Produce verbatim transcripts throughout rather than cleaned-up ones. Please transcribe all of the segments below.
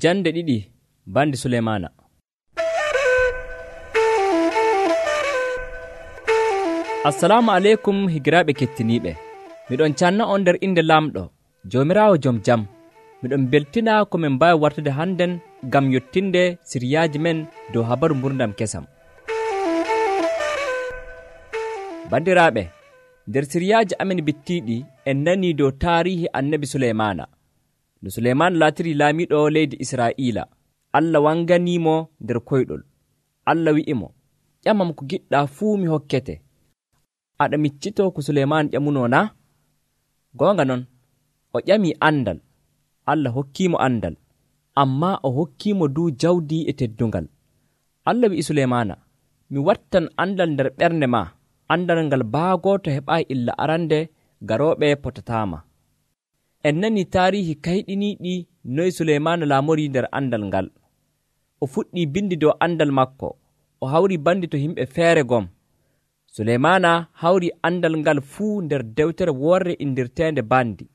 Jande ɗiɗi bandi Suleymaana. Assalamu aleykum higiraaɓe kettiniiɓe. Miɗon canna on nder inde Laamɗo, Joomiraawo jom jam. Miɗon beltina ko min mbaawi wartude hannden ngam yottinde siriyaaji men dow habaru mburdam kesam. Bandiraaɓe, nder siriyaaji amin bittiiɗi en nanii dow taarihi annabi Suleymaana. No Suleymaana laatirii laamiiɗo leydi Israa'iila, Allah wanganiimo nder koyɗol. Allah wi'imo, ƴamam ko giɗɗaa fuu mi hokkete. Aɗa miccitoo ko Suleymaana ƴamunoo naa? Goonga non, o ƴamii andal. Allah hokkiimo andal, ammaa o hokkiimo duu jawdi e teddungal. Allah wi'i Suleymaana, mi wattan andal nder ɓernde maa, andal ngal baagooto heɓaayi illa arande garooɓe potataama. En nanii taarihi kayɗiniiɗi noy Suleymaana laamorii nder andal ngal. O fuɗɗii bindi dow andal makko, o hawri bandi to yimɓe feere gom. Suleymaana hawri andal ngal fuu nder dewtere worre indirteende bandi.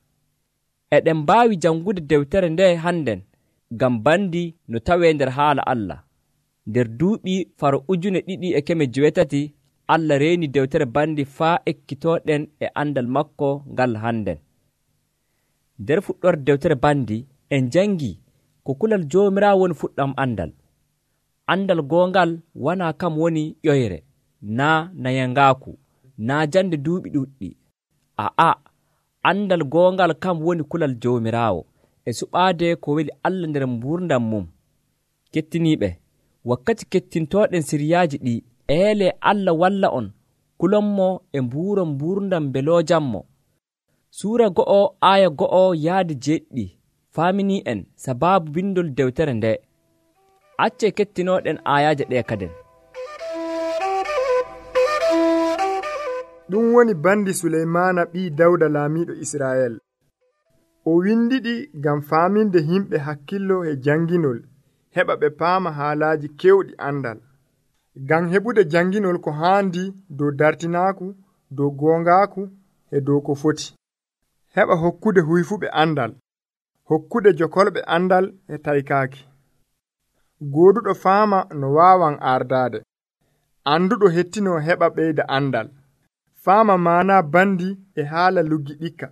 Eɗen mbaawi jangude dewtere nde hannden ngam bandi no tawee nder haala Allah. Nder duuɓi faro ujune ɗiɗi e keme jowetati Allah reeni dewtere bandi faa ekkitooɗen e andal makko ngal hannden. Nder fuɗɗorde dewtere bandi en jangi ko kulal Joomiraawo woni fuɗɗam andal. Andal goongal wonaa kam woni ƴoyre, naa nayangaaku, naa jande duuɓi ɗuɗɗi. Aa, andal goongal kam woni kulal Joomiraawo e suɓaade ko weli Allah nder mburdam mum. Kettiniiɓe, wakkati kettintooɗen siriyaaji ɗi, eele Allah walla on kulonmo e mbuuro mburdam mbeloojammo. Suura go'o aaya go'o yaadi jeeɗiɗi faaminii en sabaabu bindol dewtere nde. Acce kettinooɗen aayaaje ɗe kaden. Ɗum woni bandi Suleymaana ɓii Dawda laamiiɗo Israa'el. O windiɗi ngam faaminde yimɓe hakkillo e janginol, heɓa ɓe paama haalaaji kewɗi andal. Ngam heɓude janginol ko haandi dow dartinaaku, dow goongaaku e dow ko foti. Heɓa hokkude huyfuɓe andal, hokkude jokolɓe andal e taykaaki. Gooduɗo faama no waawan ardaade, anduɗo hettino heɓa ɓeyda andal. Faama maana bandi e haala luggi ɗikka,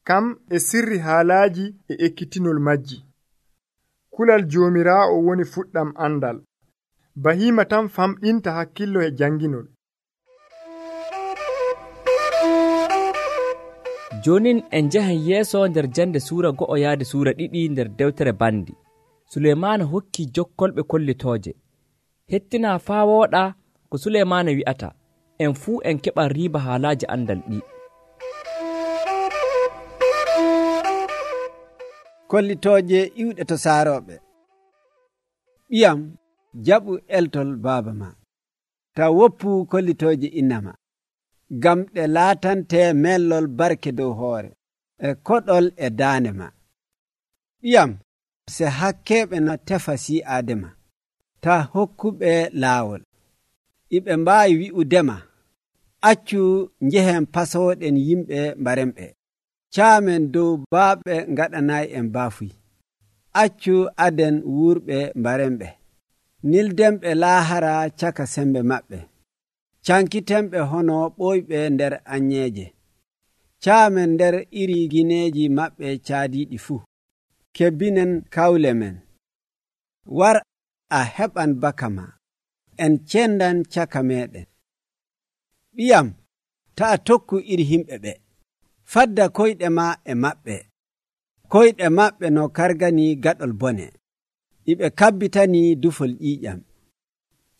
kam e sirri haalaaji e ekkitinol majji. Kulal Joomiraawo woni fuɗɗam andal, bahiima tan famɗinta hakkillo e janginol. Jonin en njahen yeeso nder jande suura go'o yaade suura ɗiɗi nder dewtere bandi. Suleymaana hokki jokkolɓe kollitooje. Hettinaa faa wooɗa ko Suleymaana wi'ata, en fuu en keɓan riiba haalaaji andal ɗi. Kollitooje iwɗe to saarooɓe. Ɓiyam, jaɓu eltol baaba ma, taw woppu kollitooje inna ma, ngam ɗe laatante mellol barke dow hoore e koɗol e daande ma. Ɓiyam, se hakkeeɓe no tefa si'aade ma, ta hokkuɓe laawol. Iɓe mbaawi wi'udema, accu njehen pasooɗen yimɓe mbaremɓe. Caamen dow baaɓe ngaɗanayi en baafuy. Accu aden wuurɓe mbaremɓe. Nildenɓe laahara caka sembe maɓɓe. Cankitenɓe hono ɓoyɓe nder anyeeje. Caamen nder iri gineeji maɓɓe caadiiɗi fuu. Kebbinen kawle men. War a heɓan baka ma. En cendan caka meɗen. Ɓiyam, taa tokku iri himɓe ɓe. Fadda koyɗe ma e maɓɓe. Koyɗe maɓɓe no kargani gaɗol bone. Iɓe kabbitani dufol ƴiiƴam.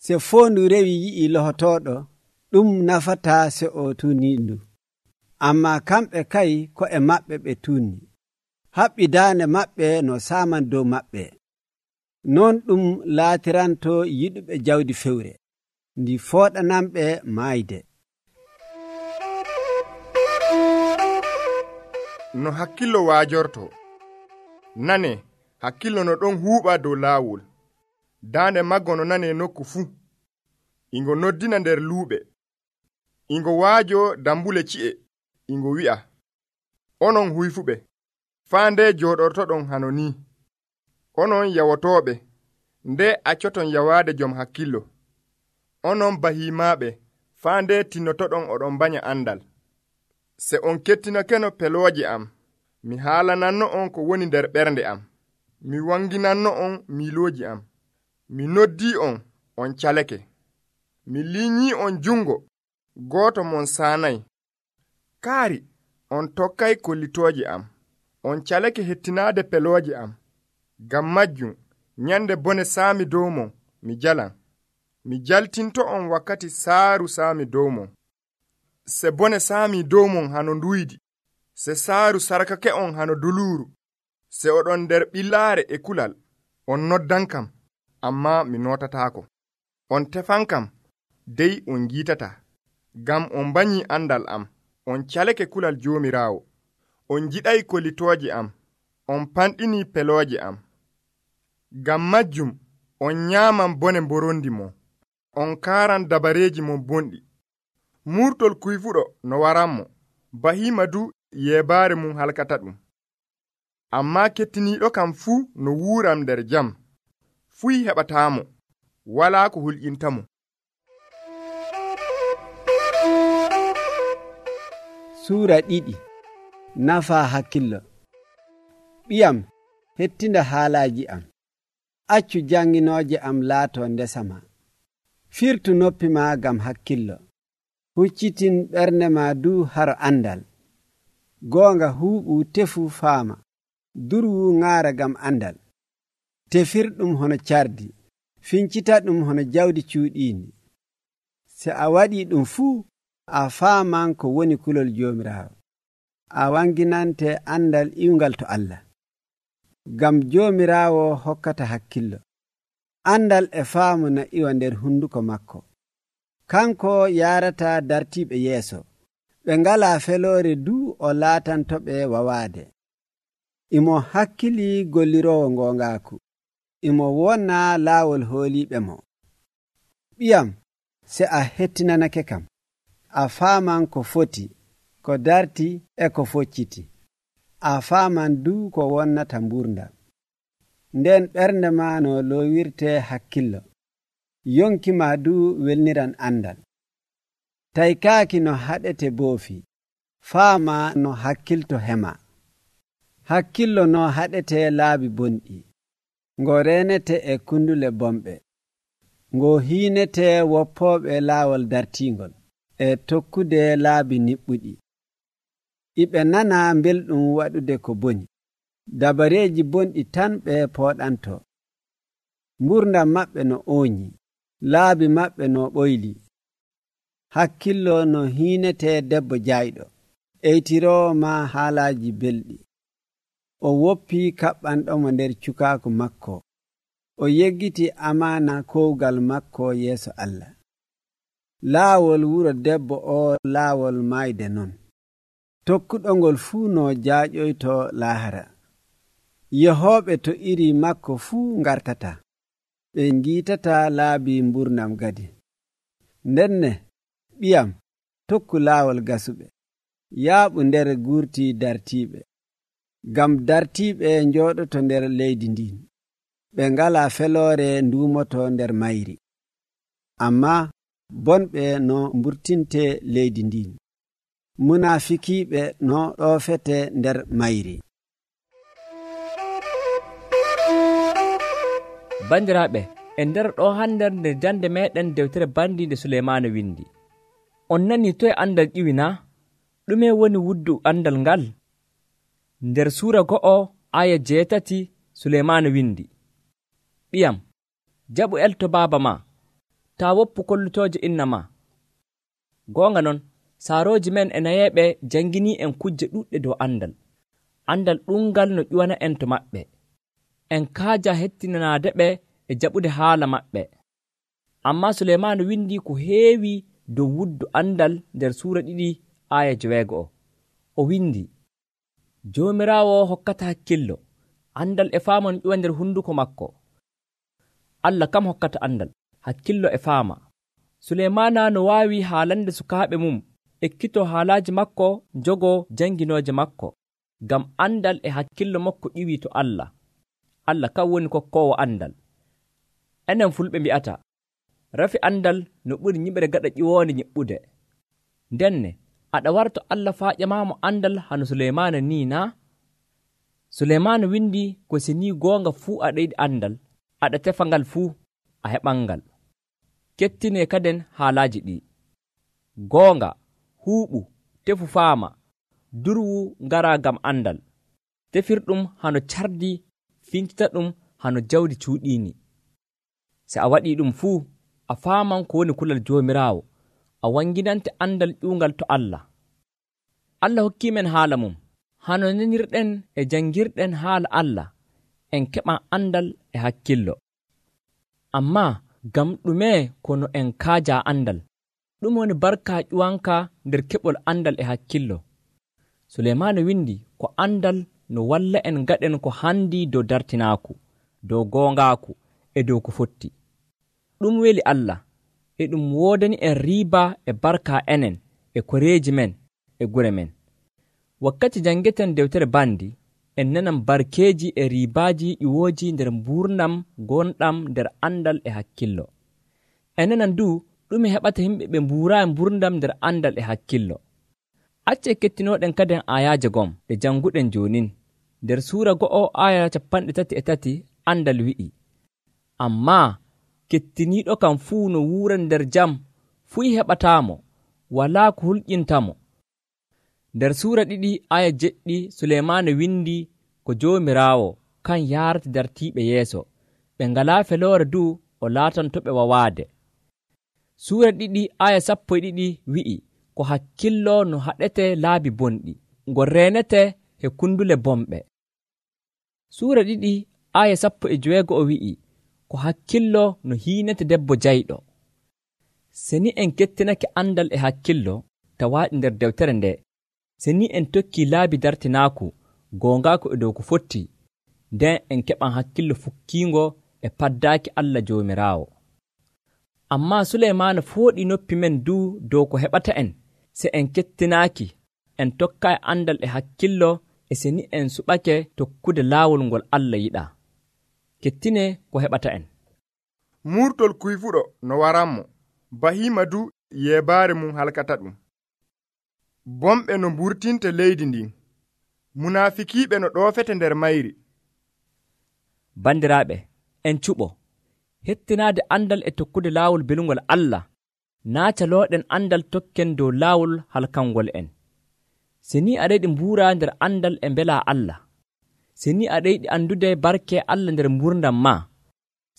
Se foondu rewi yi'i lohotooɗo, ɗum nafata se o tuunindu. Amma kamɓe kay ko e maɓɓe ɓe tuunni. Haɓɓi daande maɓɓe no saaman dow maɓɓe. Non ɗum laatiranto yiɗuɓe jawdi fewre, ndi fooɗanamɓe maayde. No hakkillo waajorto. Nane, hakkillo no ɗon huuɓa dow laawol. Daande maggo no nane nokku fuu. Ingo noddina nder luuɓe. Ingo waajo dambule ci'e. Ingo wi'a, onon huyfuɓe, faa nde jooɗortoɗon hano ni. onon yawotooɓe, nde accoton yawaade jom hakkillo. Onon bahimaaɓe, faa nde tinnotoɗon oɗon banya andal. Se on kettinokeno pelooje am, mi haalananno on ko woni nder ɓernde am. Mi wanginanno on miilooji am. Mi noddii on, on calake. Mi liinyii on jungo, gooto mon saanay. Kaari, on tokkay kollitooje am. On calake hettinaade pelooje am. Ngam majjum, nyande bone saami dow mon, mi jalan. Mi jaltinto on wakkati saaru saami dow mon. Se bone saami dow mon hano nduydi, se saaru sarkake on hano duluuru, se oɗon nder ɓillaare e kulal, on noddan kam, amma mi notataako. On tefan kam, dey on giitata, ngam on banyii andal am, on calake kulal Joomiraawo. On jiɗay kollitooje am, on panɗinii pelooje am. Ngam majjum, on nyaaman bone mborondi mon, on kaaran dabareeji mon bonɗi. Murtol kuyfuɗo no waranmo, bahiima du yeebaare mum halkata ɗum. Ammaa kettiniiɗo kam fuu no wuuram nder jam, fuy heɓataamo, walaa ko hulƴintamo. Suura ɗiɗi. Nafa hakkillo. Ɓiyam, hettinda haalaaji am. Accu janginooje am laato ndesama. Firtu noppi ma gam hakkillo. Huccitin ɓernde ma du haro andal. Goonga huuɓu tefu faama. Durwu ŋaara gam andal. Tefirɗum hono cardi. Fincita ɗum hono jawdi cuuɗiindi. Se a waɗi ɗum fuu, a faaman ko woni kulol Joomiraawo. A wanginante andal iwngal to Allah. Gam Joomiraawo hokkata hakkillo. Andal e faamu na iwa nder hunduko makko. Kanko yarata dartiiɓe yeeso. Ɓe ngala feloore du o laatantoɓe wawaade. Imo hakkili golliroowo ngongaaku. Imo wonna laawol hooliiɓe mo. Ɓiyam, se a hettinanake kam, a faaman ko foti, ko darti e ko focciti. A faaman du ko wonnata mburda. Nden ɓernde ma no loowirte hakkillo. Yonki ma du welniran andal. Taykaaki no haɗete boofi. Faama no hakkilto hema. Hakkillo no haɗete laabi bonɗi. Ngo renete e kundule bomɓe. Ngo hiinete woppooɓe laawol dartingol e tokkude laabi niɓɓuɗi. Iɓe nana belɗum waɗude ko boni. Dabareeji bonɗi tan ɓe pooɗanto. Mburdam maɓɓe no ooñi. Laabi maɓɓe no ɓoyli. Hakkillo no hiinete debbo jayɗo. Eytiroo ma haalaaji belɗi. O woppi kaɓɓanɗomo nder cukaaku makko. O yeggiti amaana kowgal makko yeeso Allah. Laawol wuro debbo o laawol maayde non. Tokkuɗongol fuu no jaaƴoyto laahara. Yehooɓe to iri makko fuu ngartata. Ɓe ngiitata laabi mburnam gadi. Ndenne, ɓiyam, tokku laawol gasuɓe. Yaaɓu nder gurti dartiiɓe. Gam dartiiɓe njooɗoto nder leydi ndin. Ɓe ngala feloore nduumoto nder mayri. Amma bonɓe no mburtinte leydi ndin. Munaafikiiɓe no ɗoofete nder mayri. Bandiraaɓe, e nder ɗo hander nde jande meɗen dewtere bandinde Suleymaana windi. On nani toye andal ƴiwina? Ɗume woni wuddu andal ngal? Nder suura go'o aya jeetati Suleymaana windi. Ɓiyam, jaɓu elto baaba ma, ta woppu kollutooje inna ma. Goonga non, saarooji men e nayeeɓe jangini en kujje ɗuɗɗe dow andal. Andal ɗungal no ƴuwana en to maɓɓe. En kaaja hettinanaade ɓe e jaɓude haala maɓɓe. Amma Suleymaana windi ko heewi dow wuddu andal nder suura ɗiɗi aya joweego'o. O windi, Joomiraawo hokkata hakkillo, andal e faama no ƴuwa nder hunduko makko. Allah kam hokkata andal, hakkillo e faama. Suleymaana no waawi haalande sukaaɓe mum, ekkito haalaaji makko, jogo janginooje makko, ngam andal e hakkillo makko ƴiwi to Allah. Allah kan woni kokkoowo andal. Enen fulɓe mbi'ata, rafi andal no ɓuri nyiɓre gaɗa ƴiwoonde nyiɓɓude. Ndenne, aɗa warto Allah faa ƴamaamo andal hano Suleymaana nii naa? Suleymaana windi ko si ni goonga fuu aɗa yiɗi andal, aɗa tefa ngal fuu, a heɓan ngal. Kettinee kaden haalaaji ɗi. Goonga, huuɓu, tefu faama, durwu ngara ngam andal. Tefirɗum hano cardi, fincita ɗum hano jawdi cuuɗiini. Se a waɗii ɗum fuu, a faaman ko woni kulal Joomiraawo, a wanginante andal ƴuungal to Allah. Allah hokkiimen haala mum, hano nanirɗen e janngirɗen haala Allah, en keɓan andal e hakkillo. Ammaa ngam ɗume kono en kaaja andal? Ɗum woni barka ƴuwanka nder keɓol andal e hakkillo. Suleymaana windi ko andal no walla en gaɗen ko handi dow dartinaaku, dow goongaaku e dow ko fotti. Ɗum weli Allah, e ɗum woodani en riiba e barka enen e koreeji men e gure men. Wakkati janngeten dewtere bandi, en nanan barkeeji e riibaaji ƴiwooji nder mbuurnam gonɗam nder andal e hakkillo. En nanan du ɗume heɓata yimɓe ɓe mbuuraayi mburndam nder andal e hakkillo. Acce kettinooɗen kaden ayaaje gom ɗe janguɗen joonin. Nder suura go'o aya capanɗe tati e tati andal wi'i, ammaa kettiniiɗo kam fuu no wuuran nder jam fuu heɓataamo, walaa ko hulƴintamo. Nder suura ɗiɗi aya jeɗɗi Suleymaana windi ko Joomiraawo kan yaarata dartiiɓe yeeso, ɓe ngalaa feloore du o laatantoɓe wawaade. Suura ɗiɗi aya sappo e ɗiɗi wi'i ko hakkillo no haɗete laabi bonɗi, ngo reenete he kundule bomɓe. Suura ɗiɗi aya sappo e joweego'o wi'i ko hakkillo no hiinete debbo jayɗo. Se ni en kettinake andal e hakkillo tawaaɗi nder dewtere nde, se ni en tokkii laabi dartinaaku goongaaku e dow ko fotti, nden en keɓan hakkillo fukkiingo e paddaaki Allah Joomiraawo. Ammaa Suleymaana fooɗi noppi men du dow ko heɓata en, se en kettinaaki, en tokkaayi andal e hakkillo, e se ni en suɓake tokkude laawol ngol Allah yiɗaa. Kettine ko heɓata en. Murtol kuyfuɗo no waranmo, bahima du yeebaare mum halkata ɗum. Bomɓe no mburtinte leydi ndin, munaafikiiɓe no ɗoofete nder mayri. Bandiraaɓe, en cuɓo, hettinaade andal e tokkude laawol belungol Allah, naa calooɗen andal tokken dow laawol halkangol en. Se ni aɗa yiɗi mbuuraa nder andal e mbelaa Allah, se ni aɗa yiɗi andude barke Allah nder mbuurdam maa,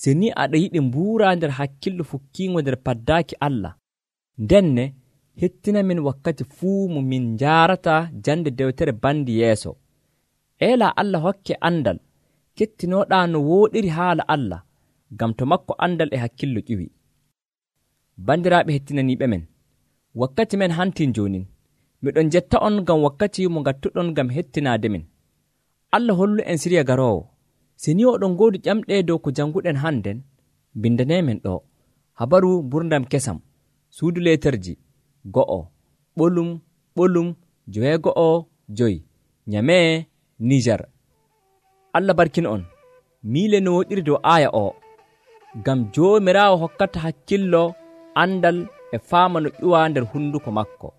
se ni aɗa yiɗi mbuuraa nder hakkillo fukkiingo nder paddaaki Allah, ndenne hettina min wakkati fuu mo min njaarata jande dewtere bandi yeeso. Eelaa Allah hokke andal, kettinooɗaa no wooɗiri haala Allah, ngam to makko andal e hakkillo ƴiwi. Bandiraaɓe hettinaniiɓe men, wakkati men hantin joonin, miɗon jetta on ngam wakkati mo ngattuɗon ngam hettinaade min. Allah hollu en siriya garoowo. Se ni oɗon ngoodi ƴamɗe dow ko janguɗen hannden, bindaneemen ɗo habaru mburdam kesam, suudu leeterji go'o, ɓolum ɓolum joweego'o joyi, Nyamee, Nijar. Allah barkin on, miile no woɗiri dow aya o, ngam Joomiraawo hokkata hakkillo, andal e faama no ƴuwa nder hunduko makko.